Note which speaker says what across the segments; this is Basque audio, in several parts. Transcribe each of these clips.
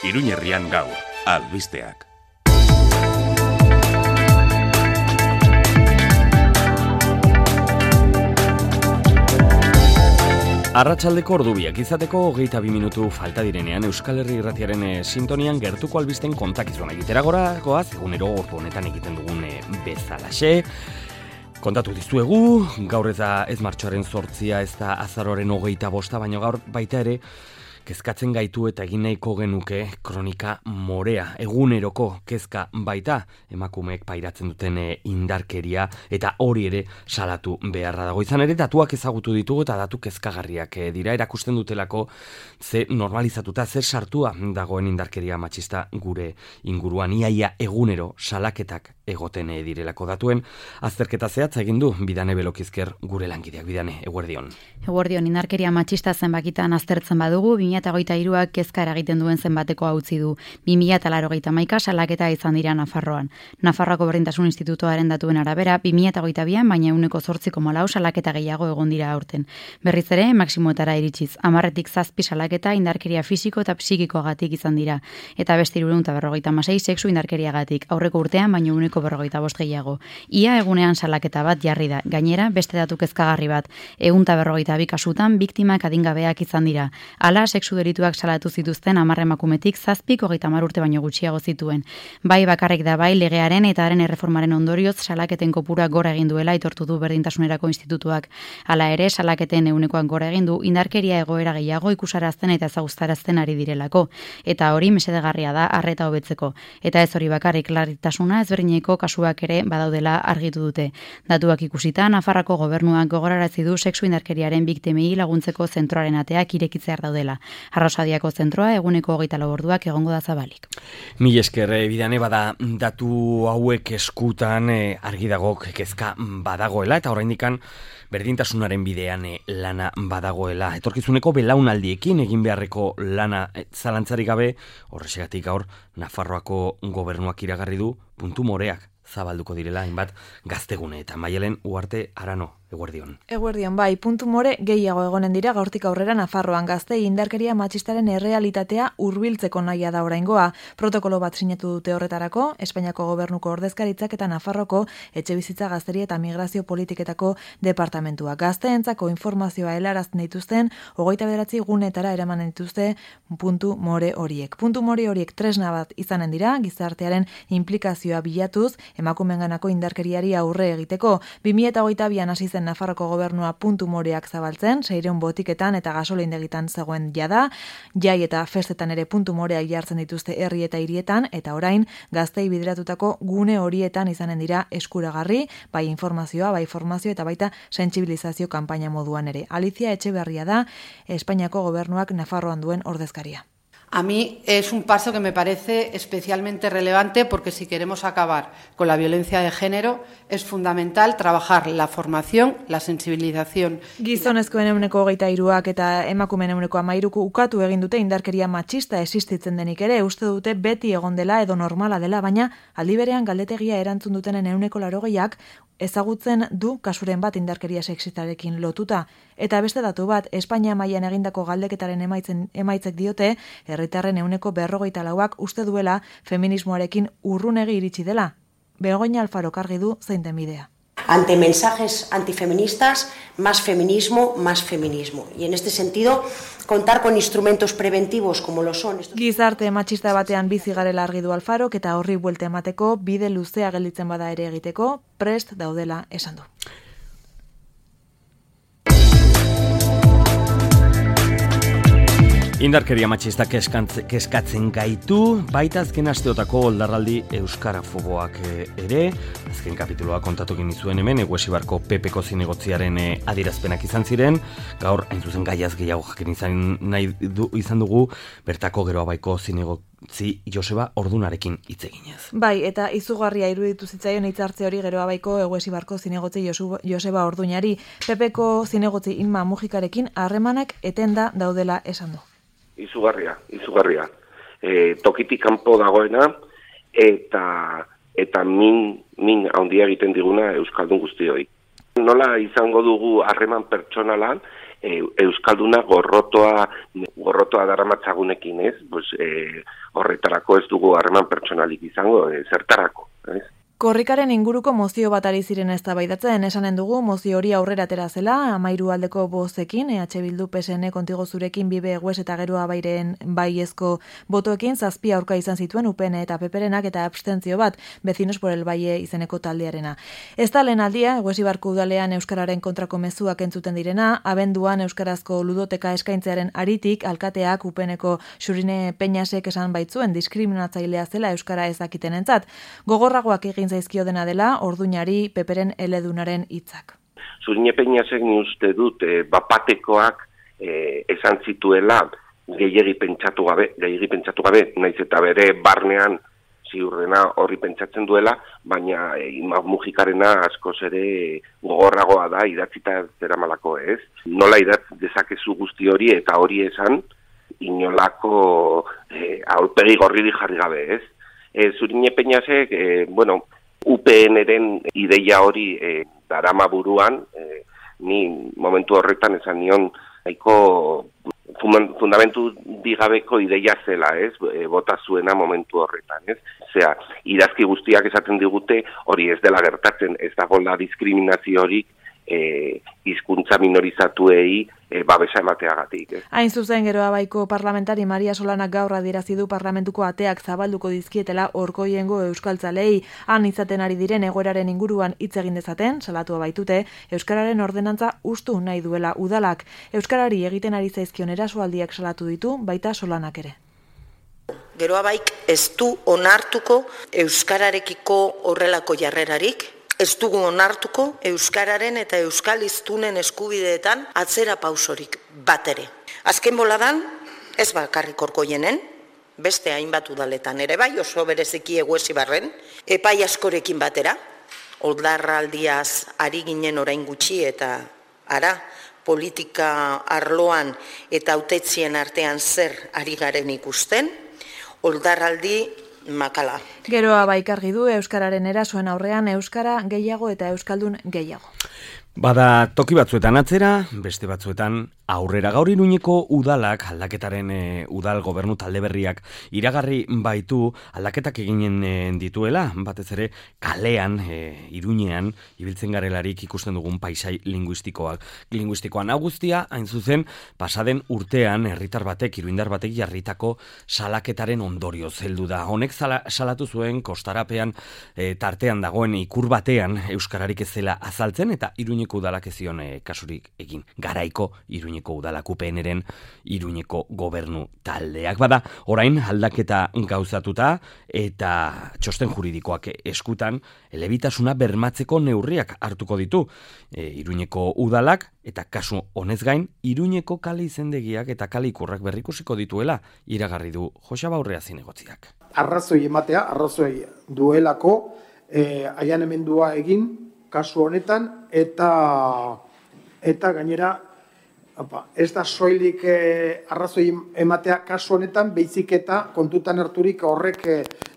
Speaker 1: Iruñerrian gaur, albisteak. Arratsaldeko ordubiak izateko 22 minutu falta direnean Euskal Herri Irratiaren sintonian gertuko albisten kontakizuna egitera goaz, egunero ordu honetan egiten dugun bezalaxe. Kontatu dizuegu, gaur ez martxoaren 8, ez da azaroaren 25, baina gaur baita ere, kezkatzen gaitu eta egin nahiko genuke kronika morea, eguneroko kezka baita, emakumeek pairatzen duten indarkeria eta hori ere salatu beharra dago. Izan ere, datuak ezagutu ditugu eta datu kezkagarriak dira, erakusten dutelako ze normalizatuta, zer sartua dagoen indarkeria matxista gure inguruan, iaia egunero salaketak egoten direlako. Datuen azterketa zehatza egin du Bidane Belokizker gure langideak. Bidane, eguerdion.
Speaker 2: Eguerdion, indarkeria matxista zenbakitan aztertzen badugu, 2023ak kezka eragiten duen zenbatekoa utzi du. 2081 salaketa izan dira Nafarroan. Nafarroako Berdintasun Institutoaren datuen arabera, 2022an baina 8,4 salaketa gehiago egon dira aurten. Berriz ere, maximoetara iritsiz, 10tik 7 salaketa indarkeria fisiko eta psikikoagatik izan dira. Eta beste 356 sexu indarkeriagatik, aurreko urtean baina 1,45 gehiago. Ia egunean salaketa bat jarri da. Gainera, beste datu kezkagarri bat, 152 kasutan biktimak adingabeak izan dira. Hala, sexu delituak salatu zituzten 10 emakumetik 7 30 urte baino gutxiago zituen. Bai bakarrik da bai legearen eta haren erreformaren ondorioz salaketen kopura gora egin duela aitortu du Berdintasunerako Institutuak. Hala ere, salaketen 100koan gora egin du indarkeria egoera gehiago ikusarazten eta ezagustarazten ari direlako. Eta hori mesedegarria da arreta hobetzeko. Eta ez hori bakarrik larritasuna ezberdineko kasuak ere badaudela argitu dute. Datuak ikusita, Nafarroako gobernuak gogorarazi du sexu indarkeriaren biktimei laguntzeko zentroaren ateak irekitzear daudela. Arrosadiako zentroa eguneko 24 orduak egongo da zabalik.
Speaker 1: Mil esker, Bidane, bada datu hauek eskutan argi dago kezka badagoela eta oraindikan berdintasunaren bidean lana badagoela. Etorkizuneko belaunaldiekin egin beharreko lana zalantzarik gabe, horrexegatik gaur Nafarroako gobernuak iragarri du puntu moreak zabalduko direla hainbat gaztegune eta Maialen Uarte Arano. Eguerdion.
Speaker 3: Eguerdion, bai, puntu more gehiago egonen dira gaurtik aurrera Nafarroan gaztei indarkeria matxistaren errealitatea hurbiltzeko nahia da oraingoa. Protokolo bat sinatu dute horretarako, Espainiako gobernuko ordezkaritzak eta Nafarroko etxebizitza gazteria eta migrazio politiketako departamentua. Gazteentzako informazioa helarazten dituzten 29 gunetara eraman dituzte puntu more horiek. Puntu more horiek tresna bat izanen dira, gizartearen implikazioa bilatuz, emakumeenganako indarkeriari aurre egiteko. 2022an hasi zen Nafarroko gobernua puntu moreak zabaltzen, 600 botiketan eta gasolindegitan zegoen jada, jai eta festetan ere puntu moreak jartzen dituzte herri eta hirietan, eta orain gaztei bideratutako gune horietan izanen dira eskuragarri, bai informazioa, bai formazio eta baita sentsibilizazio kanpaina moduan ere. Alicia Etxeberria da Espainiako gobernuak Nafarroan duen ordezkaria.
Speaker 4: A mí es un paso que me parece especialmente relevante porque si queremos acabar con la violencia de género es fundamental trabajar la formación, la sensibilización.
Speaker 3: Gizonezkoen 23ak eta emakumeen 13 ukatu egin dute indarkeria matxista existitzen denik ere, uste dute beti egon dela edo normala dela, baina aldi berean galdetegia erantzun dutenen 80ak ezagutzen du kasuren bat indarkeria sexistarekin lotuta. Eta beste datu bat, Espainia mailan egindako galdeketaren emaitzek diote, herritarren 54ak uste duela feminismoarekin urrunegi iritsi dela. Begoña Alfaro argi du zein den bidea.
Speaker 5: Ante mensajes antifeministas, más feminismo, más feminismo. Y en este sentido, contar con instrumentos preventivos como lo son estos...
Speaker 3: Gizarte matxista batean bizi garela argi du Alfaro, eta horri buelta emateko, bide luzea gelditzen bada ere egiteko, prest daudela esan du.
Speaker 1: Indarkeria matxista kezkatzen gaitu, baita azken asteotako oldarraldi euskarafoboak ere, azken kapituloa kontatu egin zuen hemen, Eguesibarko Pepeko zinegotziaren adierazpenak izan ziren, gaur hain zuzen gaiaz gehiago jakin izan dugu, bertako Geroabaiko zinegotzi Joseba Ordunarekin hitz eginez.
Speaker 3: Bai, eta izugarria iruditu zitzaion hitzartze hori Geroabaiko Eguesibarko zinegotzi Joseba Ordunari, Pepeko zinegotzi Inma Mujikarekin harremanak etenda daudela esan du.
Speaker 6: Izugarria. Tokitik kanpo dagoena eta min handia egiten diguna euskaldun guztioi. Nola izango dugu harreman pertsonala euskalduna gorrotoa daramatzagunekin, ez? Pues, horretarako ez dugu harreman pertsonalik izango, zertarako, ez?
Speaker 3: Korrikaren inguruko mozio bat ari ziren eztabaidatzen, esanen dugu mozio hori aurrera atera zela, 13 aldeko bozekin, EH Bildu PSN Kontigo Zurekin Bibe Egues eta Geroa Bairen baiezko botoekin 7 aurka izan zituen UPN eta PPrenak eta abstentzio bat, Vecinos por el Valle izeneko taldearena. Ez da lehen aldia, Egues Ibarko udalean euskararen kontrako mezuak entzuten direna, abenduan euskarazko ludoteka eskaintzearen aritik, alkateak UPNeko Xurine Peñasek esan baitzuen diskriminatzailea zela euskara ez dakitenentzat. Gogorragoak egin zaizkio dena dela, orduñari Peperen eledunaren hitzak.
Speaker 6: Xurine Peñasek ni uste dut bapatekoak esan zituela gehiegi pentsatu gabe, naiz eta bere barnean ziurrena horri pentsatzen duela, baina Mujikarena askoz ere gogorragoa da idatzita zeramalako, ez? Nola idatz dezakezu guzti hori eta hori esan inolako aurpegi gorriri jarri gabe, ez? Xurine Peñasek, UPN-eren ideia hori darama buruan, ni momentu horretan esan nion nahiko fundamentu digabeko ideia zela, ez? Bota zuena momentu horretan, ez? Osea, idazki guztiak esaten digute hori ez dela gertatzen, ez dagoela diskriminazio hori hizkuntza minorizatuei babesa emateagatik.
Speaker 3: Hain zuzen Geroa Baiko parlamentari Maria Solanak gaur adierazi du parlamentuko ateak zabalduko dizkietela Orkoiengo euskaltzalei, han izaten ari diren egoeraren inguruan hitz egin dezaten, salatua baitute, euskararen ordenantza hustu nahi duela udalak. Euskarari egiten ari zaizkion erasoaldiak salatu ditu, baita Solanak ere.
Speaker 7: Geroa Baik ez du onartuko euskararekiko horrelako jarrerarik, ez dugu onartuko euskararen eta euskal hiztunen eskubideetan atzera pausorik bat ere. Azken boladan, ez bakarrik Orkoienen, beste hainbat udaletan ere bai, oso bereziki Egues Ibarren, epai askorekin batera, oldarraldiaz ari ginen orain gutxi eta politika arloan eta hautetzien artean zer ari garen ikusten, oldarraldi makala.
Speaker 3: Geroa Baik argi du euskararen erasoen aurrean euskara gehiago eta euskaldun gehiago.
Speaker 1: Bada toki batzuetan atzera, beste batzuetan aurrera. Gaur Iruñeko udalak, aldaketaren udal gobernu talde berriak iragarri baitu aldaketak eginen dituela, batez ere kalean, Iruñean, ibiltzen garelarik ikusten dugun paisai linguistikoan. Hau guztia, hain zuzen, pasaden urtean herritar batek, iruindar batek jarritako salaketaren ondorioz heldu da. Honek salatu zuen kostarapean tartean dagoen ikur batean euskararik ez zela azaltzen eta Iruñeko udalak ez zion kasurik egin. Garaiko Iruñeko udalak UPNren Iruñeko gobernu taldeak. Bada, orain aldaketa gauzatuta eta txosten juridikoak eskutan elebitasuna bermatzeko neurriak hartuko ditu Iruñeko udalak eta kasu honez gain Iruñeko kale izendegiak eta kale ikurrak berrikusiko dituela iragarri du Joseba Urrea zinegotziak.
Speaker 8: Arrazoi ematea, arrazoi duelako aianemendua egin kasu honetan eta gainera ez da soilik arrazoi ematea kasu honetan, beizik eta kontutan harturik horrek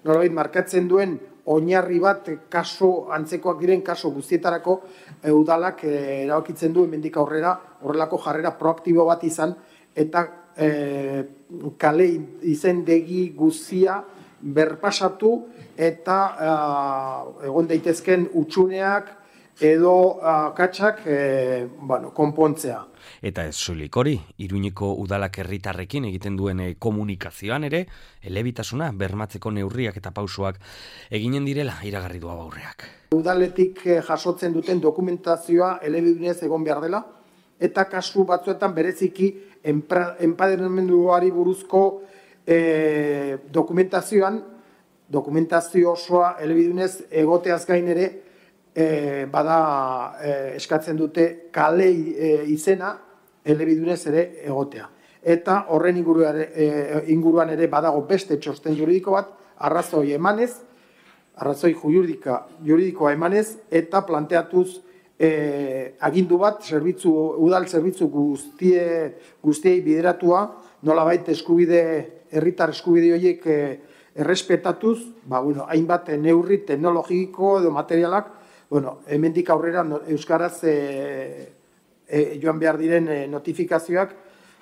Speaker 8: nolabait markatzen duen oinarri bat kasu antzekoak diren kasu guztietarako udalak erabakitzen du hemendik aurrera horrelako jarrera proaktibo bat izan eta kale izendegi guztia berpasatu eta egon daitezken hutsuneak edo katxak konpontzea.
Speaker 1: Eta ez soilik hori, Iruñeko udalak herritarrekin egiten duen komunikazioan ere, elebitasuna bermatzeko neurriak eta pausoak eginen direla iragarri du Aurreak.
Speaker 8: Udaletik jasotzen duten dokumentazioa elebidunez egon behar dela, eta kasu batzuetan bereziki enpadernamenduari buruzko dokumentazio osoa elebidunez egoteaz gain ere, bada eskatzen dute kale izena elebidunez ere egotea. Eta horren inguruan ere badago beste txosten juridiko bat, arrazoi juridikoa emanez, eta planteatuz agindu bat, udal zerbitzu guztiei bideratua, nolabait herritar eskubide horiek errespetatuz, hainbat neurri teknologiko edo materialak, hemendik aurrera euskaraz joan behar diren notifikazioak,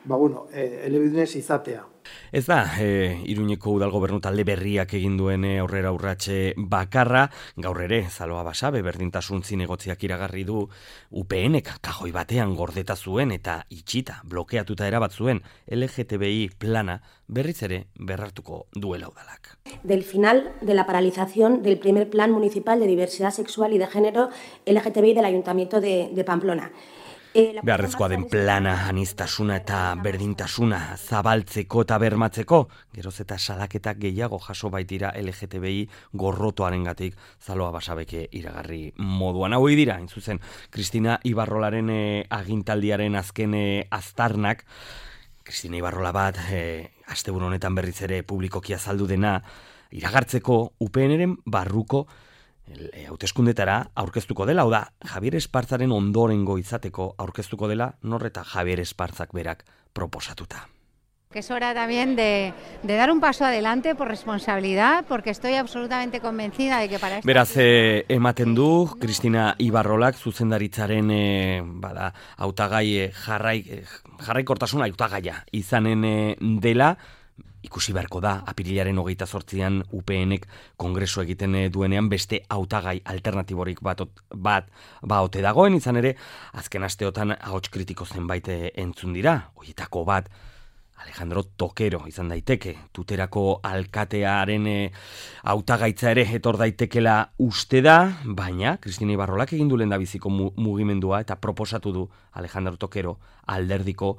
Speaker 8: elebidunez izatea.
Speaker 1: Ez da, Iruñeko udal gobernu talde berriak egin duen aurrera urratxe bakarra, gaur ere, Zaloa Basabe berdintasun zinegotziak iragarri du UPNek kajoi batean gordeta zuen eta itxita, blokeatuta erabat zuen LGTBI plana berriz ere berrartuko duela udalak.
Speaker 9: Del final de la paralización del primer plan municipal de diversidad sexual y de género LGTBI del Ayuntamiento de Pamplona.
Speaker 1: Beharrezkoa den plana, aniztasuna eta berdintasuna zabaltzeko eta bermatzeko, geroz eta salaketak gehiago jaso baitira LGTBI gorrotoarengatik Zaloa Basabeke iragarri moduan. Hau dira, hain zuzen, Kristina Ibarrolaren agintaldiaren azken aztarnak, Kristina Ibarrola bat, asteburu honetan berriz ere publikoki azaldu dena, iragartzeko UPNren barruko hauteskundetara aurkeztuko dela, hau da, Javier Espartzaren ondorengo izateko aurkeztuko dela, norreta Javier Espartzak berak proposatuta.
Speaker 10: Que es hora también de dar un paso adelante por responsabilidad, porque estoy absolutamente convencida de que para esto...
Speaker 1: Beraz, ematen du, Kristina Ibarrolak zuzendaritzaren hautagai jarraikortasuna hautagaia izanen dela, ikusi beharko da, apirilaren 28an UPNek kongresu egiten duenean beste hautagai alternatiborik bat ote dagoen, izan ere, azken asteotan ahots kritiko zenbait entzun dira, horietako bat, Alejandro Tokero izan daiteke, Tuterako alkatearen hautagaitza ere etor daitekela uste da, baina Kristina Ibarrolak egin du lehendabiziko mugimendua eta proposatu du Alejandro Tokero alderdiko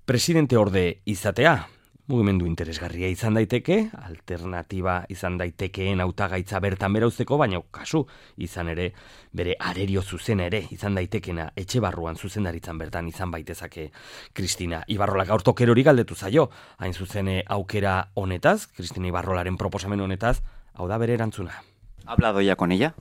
Speaker 1: presidente orde izatea. Mugimendu interesgarria izan daiteke, alternatiba izan daitekeen hautagaitza bertan bera uzteko, baina kasu izan ere, bere arerio zuzena ere izan daitekena etxe barruan zuzendaritzan bertan izan baitezake Kristina Ibarrola. Gaur Tokerori galdetu zaio, hain zuzen aukera honetaz, Kristina Ibarrolaren proposamen honetaz, hau da bere erantzuna.
Speaker 11: ¿Ha hablado ya con ella?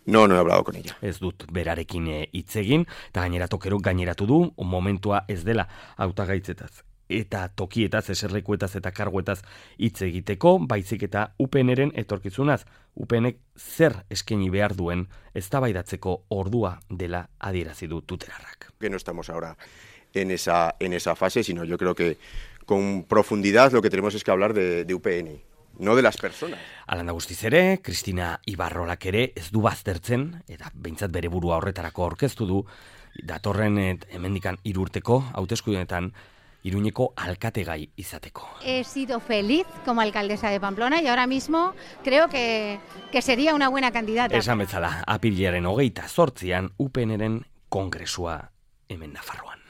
Speaker 6: No he hablado con ella.
Speaker 1: Ez dut berarekin hitz egin, eta gainera Tokerok gaineratu du, momentua ez dela hautagaitzetaz eta tokietaz, eserlekuetaz eta karguetaz hitz egiteko, baizik eta UPNren etorkizunaz. UPNek zer eskaini behar duen eztabaidatzeko ordua dela adierazi du tuterarrak.
Speaker 6: Que no estamos ahora en esa fase, sino yo creo que con profundidad lo que tenemos es que hablar de UPN, no de las personas.
Speaker 1: Alanda guztiz ere, Kristina Ibarrolak ere ez du baztertzen, eta behintzat bere burua horretarako aurkeztu du, datorren hemendikan 3 urteko hauteskundeetan Iruñeko alkategai izateko.
Speaker 10: He sido feliz como alcaldesa de Pamplona y ahora mismo creo que sería una buena candidata.
Speaker 1: Esan bezala, apirilaren 28an UPNren kongresua hemen Nafarroan.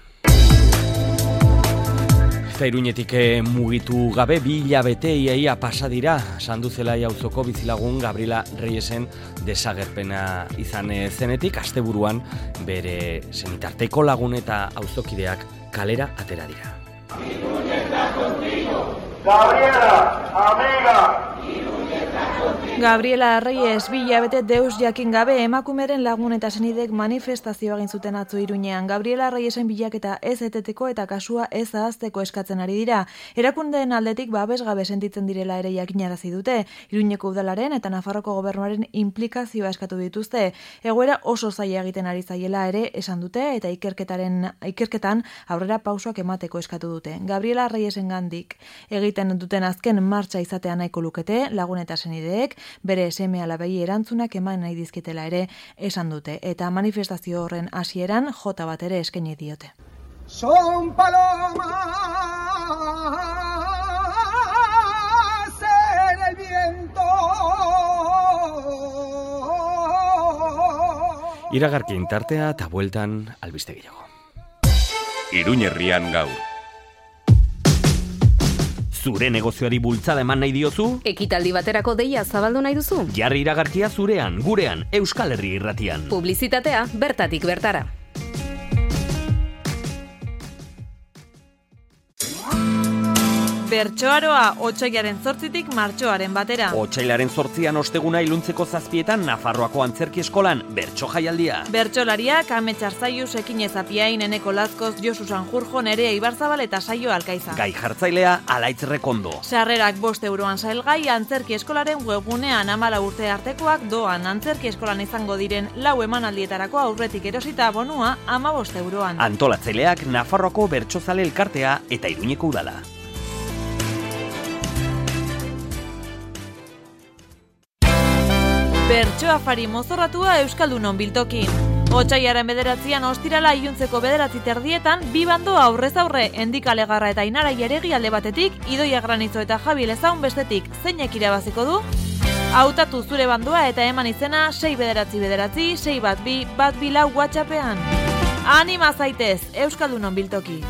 Speaker 1: Eta Iruñetik mugitu gabe 2 hilabete iaia pasa dira Sanduzelai auzoko bizilagun Gabriela Reyesen desagerpena izan zenetik, asteburuan bere senitarteko lagun eta auzokideak kalera atera dira.
Speaker 3: Gabriela, amiga! Gabriela Reyes 2 hilabete deus jakin gabe emakumeren lagun eta senidek manifestazioa egin zuten atzo Iruñean. Gabriela Reyesen bilaketa ez eteteko eta kasua ez ahazteko eskatzen ari dira. Erakundeen aldetik babesgabe sentitzen direla ere jakinarazi dute. Iruñeko udalaren eta Nafarroko gobernuaren inplikazioa eskatu dituzte. Egoera oso zaila egiten ari zaiela ere esan dute eta ikerketan aurrera pausoak emateko eskatu dute. Gabriela Reyesengandik egiten duten azken martxa izatea nahiko lukete, lagun eta senideek bere seme-alabei erantzunak eman nahi dizkitela ere esan dute, eta manifestazio horren hasieran jota bat ere eskaini diote.
Speaker 12: Son palomas en el viento.
Speaker 1: Iragarkin tartea eta bueltan albiste gehiago.
Speaker 13: Iruñerrian gaur.
Speaker 1: Zure negozioari bultzada eman nahi diozu?
Speaker 14: Ekitaldi baterako deia zabaldu nahi duzu?
Speaker 1: Jarri iragarkia zurean, gurean, Euskal Herri Irratian.
Speaker 14: Publizitatea bertatik bertara.
Speaker 3: Bertsoaroa, otsailaren 8tik martxoaren batera.
Speaker 1: Otsailaren 8an osteguna iluntzeko 7etan Nafarroako Antzerki Eskolan bertso jaialdia.
Speaker 3: Bertsolariak Amets Arzaius, Ekinez Apiain, Eneko Lazkoz, Josu Sanjurjo, Nerea Ibarzabal eta Saio Alkaiza.
Speaker 1: Gai jartzailea Alaitz Rekondo.
Speaker 3: Sarrerak 5 euroan salgai, Antzerki Eskolaren webgunean 14 urte artekoak doan. Antzerki Eskolan izango diren 4 emanaldietarako aurretik erosita bonua 15 euroan.
Speaker 1: Antolatzaileak Nafarroako Bertsozale Elkartea eta Iruñeko Udala.
Speaker 3: Bertso afari mozorratua Euskaldunon biltokin. Otsailaren 9an ostirala iluntzeko 9:30 bi bando aurrez aurre, Endikale Garra eta Inara Jaregi alde batetik, Idoia Granizo eta Javi Lezaun bestetik. Zeinek irabaziko du? Hautatu zure bandoa eta eman izena 699 612 124 WhatsAppean. Anima zaitez, Euskaldunon biltoki.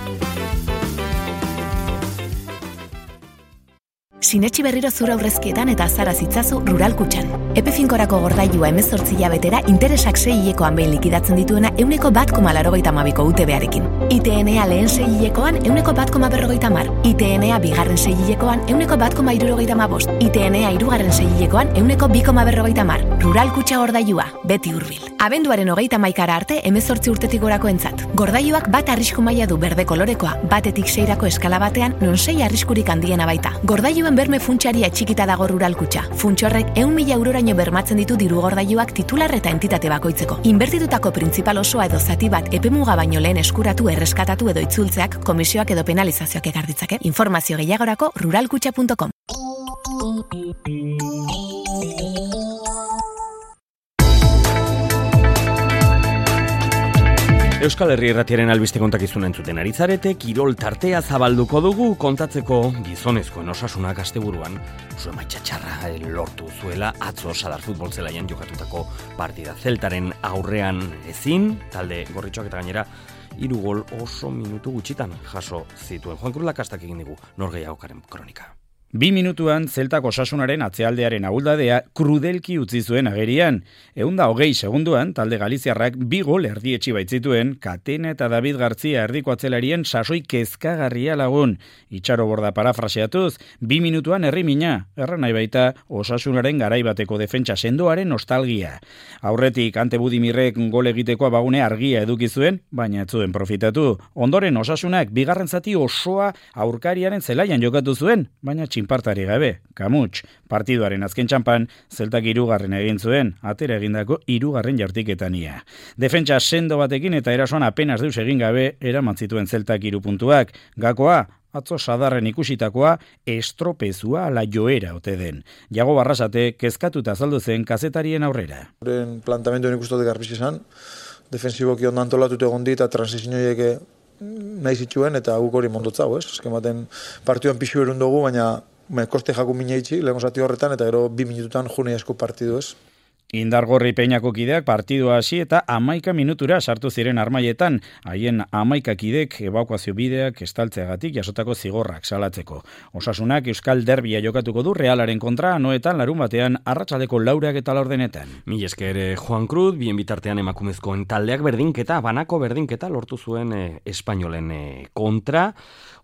Speaker 11: Sinetxi berriro zura aurrezkietan eta azara zitzazu Rural Kutxan. Epe5korako gordailua 18 hilabetera interesak 6 hilekoan behin likidatzen dituena 1,82,82ko UTB-arekin. ITNA lehen 6 hilekoan 1,1,50. ITNA bigarren 6 hilekoan 1,1,75. ITNA hirugarren 6 hilekoan 1,2,50. Rural Kutxa gordailua, beti hurbil. Abenduaren 31 arte 18 urtetik gorako entzat. Gordailuak bat arrisku maila du berde kolorekoa, batetik 6rako eskala batean, non 6 arriskurik handiena baita. Gordailuen berme funtsaria txikita dago Rural Kutxa. Funtsorrek 100.000 euroraino bermatzen ditu diru gordailuak titular eta entitate bakoitzeko. Inbertitutako printzipal osoa edo zati bat epemuga baino lehen eskuratu, erreskatatu edo itzultzeak komisioak edo penalizazioak ekar ditzake. Informazio gehiagorako ruralkutxa.com.
Speaker 1: Euskal Herri Irratiaren albiste kontakizuna entzuten ari zarete, kirol tartea zabalduko dugu kontatzeko gizonezkoen osasunak asteburuan zuen maitxatxarra lortu zuela atzo Sadar futbol zelaian jokatutako partida. Zeltaren aurrean ezin, talde gorritxoak eta gainera 3 gol oso minutu gutxitan jaso zituen. Juan Cruz Lakastak egin digu Norgehiagokaren kronika.
Speaker 13: 2 minutuan Zeltak osasunaren atzealdearen ahuldadea krudelki utzi zuen agerian. 120 segunduan talde galiziarrak 2 gol erdietsi baitzituen Katena eta David Gartzia erdiko atzelarien sasoi kezkagarria lagun. Itxaro Borda parafraseatuz, 2 minutuan herrimina, erran nahi baita osasunaren garaibateko defentsa sendoaren nostalgia. Aurretik Ante Budimirrek gol egiteko abagune argia eduki zuen, baina ez zuen profitatu. Ondoren osasunak bigarren zati osoa aurkariaren zelaian jokatu zuen, baina txinpartari gabe, kamuts. Partiduaren azken txampan, Zeltak 3. egin zuen, atera egindako 3. jartiketania. Defentsa sendo batekin eta erasoan apenas deus egin gabe, eraman zituen Zeltak 3 puntuak. Gakoa, atzo Sadarren ikusitakoa, estropezua ala joera ote den. Jago Barrasate, kezkatuta azaldu zen kazetarien aurrera.
Speaker 15: Horren plantamentoen ikustote garbiz izan, defensiboki ondo antolatute egon dit, eta transizioiek nahi zituen, eta guk hori mondotzago, ez? Azken baten partioan pixu erun dugu, baina koste jaku mina itxi, lehen zati horretan, eta gero 2 minututan june asko partidu, ez?
Speaker 13: Indargorri Peñako kideak partidua hasi eta 11 minutura sartu ziren armaietan, haien 11 kidek ebakuazio bideak estaltzeagatik jasotako zigorrak salatzeko. Osasunak Euskal Derbia jokatuko du Realaren kontra, anoetan larun batean arratsaldeko 4 eta 4
Speaker 1: Mil esker Juan Cruz, bien bitartean emakumezkoen taldeak berdinketa, banako berdinketa lortu zuen espainolen kontra,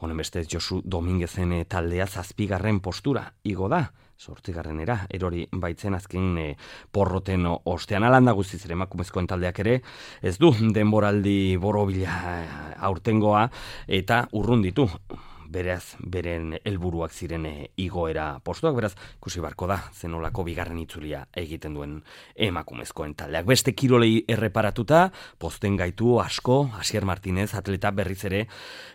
Speaker 1: honen bestez Josu Dominguezen taldea 7. postura igo da. 8. erori baitzen azken porroten ostean alanda guztiz ere emakumezkoen taldeak ere ez du denboraldi borobila aurtengoa eta urrun ditu. Beraz, beren helburuak ziren igoera postuak, beraz, ikusi barko da, zenolako bigarren itzulia egiten duen emakumezkoen taldeak. Beste kirolei erreparatuta, posten gaitu asko, Asier Martinez, atleta berriz ere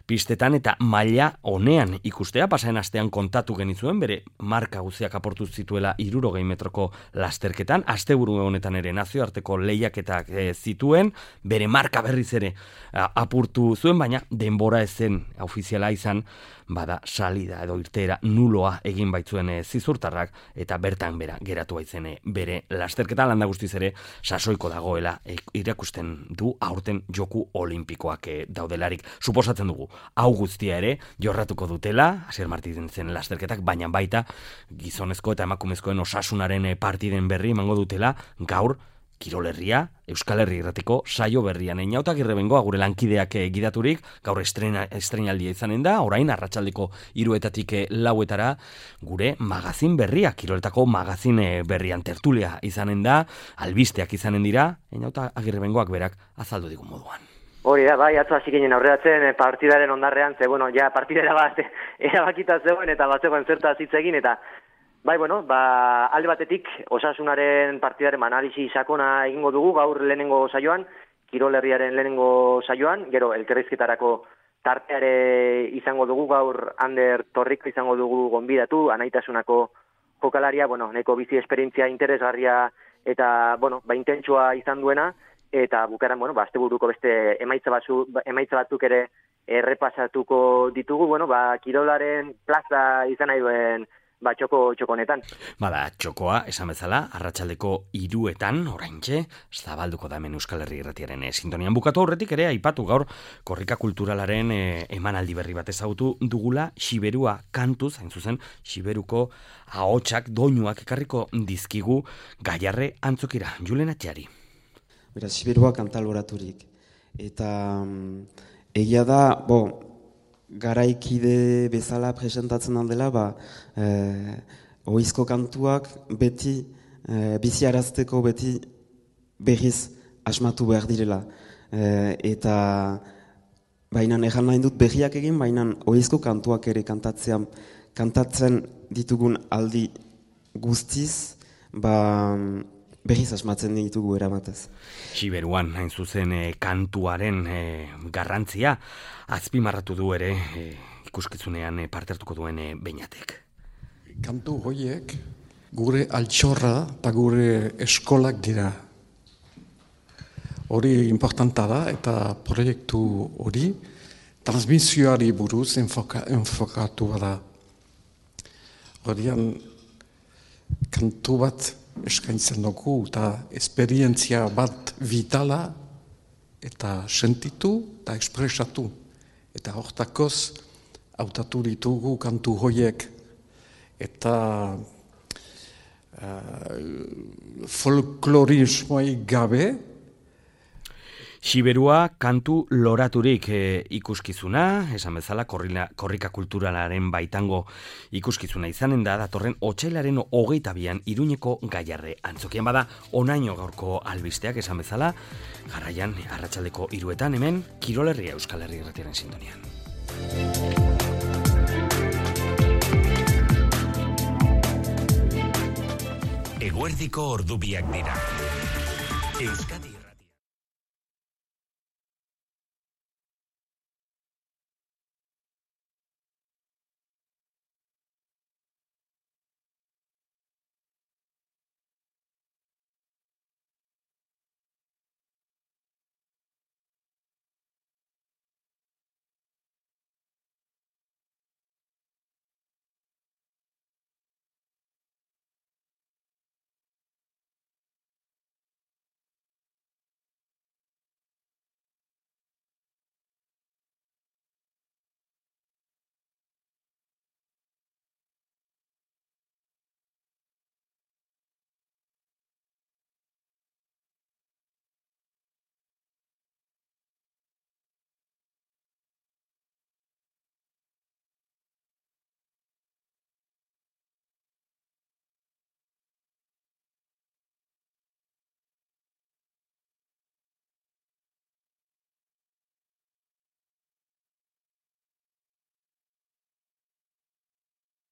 Speaker 1: pistetan eta maila honean ikustea, pasaren astean kontatu genizuen, bere marka guztiak aportu zituela 60 metroko lasterketan, asteburu honetan ere nazioarteko lehiaketak zituen, bere marka berriz ere apurtu zuen, baina denbora ezen ofiziala izan, bada salida edo irteera nuloa egin baitzuen zizurtarrak eta bertan bera geratu baitzen bere lasterketa landa guztiz ere sasoiko dagoela irakusten du aurten joku olimpikoak daudelarik. Suposatzen dugu, hau guztia ere jorratuko dutela, Asier Martinzen lasterketak, baina baita gizonezko eta emakumezkoen osasunaren partiden berri emango dutela gaur Kirol Herria, Euskal Herri Irratiko saio berrian. Einaut Agirrebengoa gure lankideak gidaturik, gaur estreinaldia izanen da, orain arratsaldeko 3:00 4:00 gure magazin berria, kiroletako magazin berrian tertulia izanen da, albisteak izanen dira, Einaut Agirrebengoak berak azaldu digun moduan.
Speaker 16: Hori da, bai, atzo hasi ginen aurreratzen partidaren ondarrean, ze, bueno, ja partidera bat erabakita zegoen eta batzegoen zertaz hitz egin, eta bai, bueno, alde batetik Osasunaren partidaren analisi sakona egingo dugu gaur lehenengo saioan, Kirol Herriaren lehenengo saioan, gero elkarrizketarako tarteare izango dugu gaur Ander Torriko izango dugu gonbidatu, Anaitasunako jokalaria, bueno, neko bizi esperientzia interesgarria eta, bueno, intentsua izan duena, eta bukaran, bueno, asteburuko beste emaitza batzuk ere errepasatuko ditugu, bueno, kirolaren plaza izan nahi duen txoko honetan.
Speaker 1: Bada, txokoa, esan bezala, arratsaldeko 3:00 oraintxe, zabalduko da hemen Euskal Herri Irratiaren sintonian. Bukatu aurretik ere, aipatu gaur, korrika kulturalaren emanaldi berri bat ezagutu dugula, Xiberua kantuz, hain zuzen, Xiberuko ahotsak, doinuak ekarriko dizkigu Gaiarre antzokira. Julen Atxari.
Speaker 17: Beraz, Xiberua kantaloraturik. Eta egia da, garaikide bezala presentatzen handela, ohizko kantuak beti, biziarazteko beti berriz asmatu behar direla. Eta bainan egan nahi dut berriak egin, bainan ohizko kantuak ere kantatzen ditugun aldi guztiz, berriz asmatzen ditugu eramatez.
Speaker 1: Xiberuan, hain zuzen, kantuaren garrantzia, azpimarratu du ere ikuskizunean parte hartuko duen Beñatek.
Speaker 18: Kantu horiek gure altxorra eta gure eskolak dira. Hori importanta da eta proiektu hori transmisioari buruz enfokatu da. Horian kantu bat eskaintzen dugu eta esperientzia bat vitala eta sentitu eta ekspresatu. Eta hortakoz hautatu ditugu kantu horiek eta folklorismoik gabe.
Speaker 1: Xiberua kantu loraturik ikuskizuna, esan bezala korrika kulturalaren baitango ikuskizuna izanen da, datorren otsailaren 22an Iruñeko Gaiarre antzokian. Bada, onaino gaurko albisteak esan bezala, jarraian arratsaldeko 3:00 hemen Kirol Herria Euskal Herri Irratiaren sintonian.
Speaker 19: Eguerdiko ordubiak dira. Euskadi